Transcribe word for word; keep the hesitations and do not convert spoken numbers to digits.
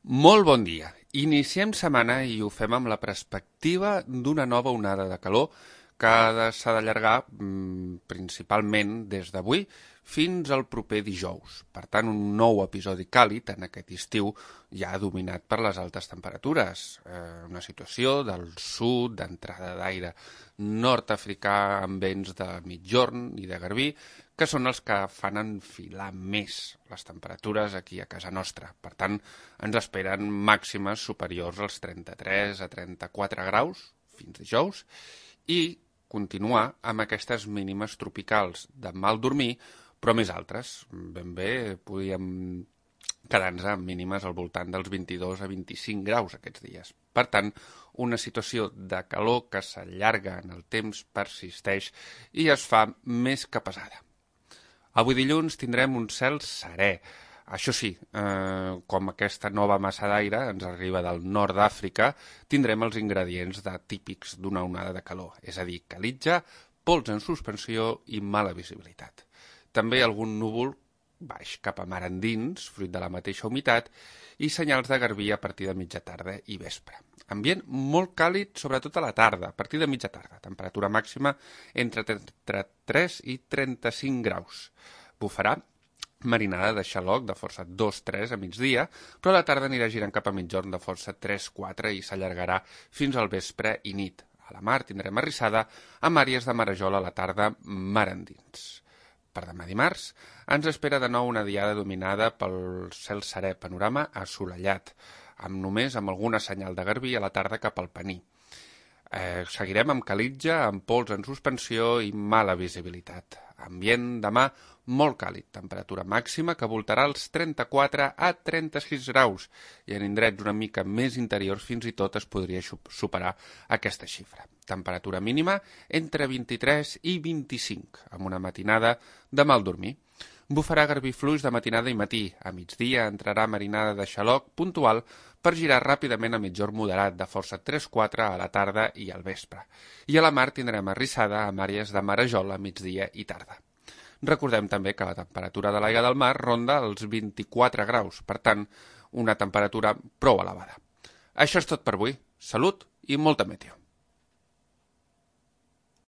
Molt bon dia. Iniciem setmana i ho fem amb la perspectiva d'una nova onada de calor que s'ha d'allargar mm, principalment des d'avui fins al proper dijous. Per tant, un nou episodi càlid en aquest estiu ja dominat per les altes temperatures. Eh, una situació del sud, d'entrada d'aire nord-africà amb vents de migjorn i de garbí, que són els que fan enfilar més les temperatures aquí a casa nostra. Per tant, ens esperen màximes superiors als trenta-tres a trenta-quatre graus fins dijous i continuar amb aquestes mínimes tropicals de mal dormir, però més altres. Ben bé podíem quedar-nos amb mínimes al voltant dels vint-i-dos a vint-i-cinc graus aquests dies. Per tant, una situació de calor que s'allarga en el temps, persisteix i es fa més que pesada. Avui dilluns tindrem un cel serè. Això sí, eh, com aquesta nova massa d'aire ens arriba del nord d'Àfrica, tindrem els ingredients de, típics d'una onada de calor, és a dir, calitja, pols en suspensió i mala visibilitat. També algun núvol baix cap a mar endins, fruit de la mateixa humitat, i senyals de garbí a partir de mitja tarda i vespre. Ambient molt càlid, sobretot a la tarda, a partir de mitja tarda. Temperatura màxima entre trenta-tres i trenta-cinc graus. Bufarà marinada de xaloc de força dos tres a migdia, però a la tarda anirà girant cap a mitjorn de força tres quatre i s'allargarà fins al vespre i nit. A la mar tindrem arrissada amb àrees de marejol a la tarda mar endins. Per demà dimarts ens espera de nou una diada dominada pel cel serè, panorama assolellat, amb només amb alguna senyal de garbí a la tarda cap al Pení. Eh, seguirem amb calitja, amb pols en suspensió i mala visibilitat. Ambient demà molt càlid, temperatura màxima que voltarà als trenta-quatre a trenta-sis graus i en indrets una mica més interiors fins i tot es podria superar aquesta xifra. Temperatura mínima entre vint-i-tres i vint-i-cinc, amb una matinada de mal dormir. Bufarà garbí fluix de matinada i matí. A migdia entrarà marinada de xaloc puntual per girar ràpidament a mitjorn moderat de força tres quatre a la tarda i al vespre. I a la mar tindrem arrissada amb àrees de marejol a migdia i tarda. Recordem també que la temperatura de l'aigua del mar ronda els vint-i-quatre graus, per tant, una temperatura prou elevada. Això és tot per avui. Salut i molta meteo.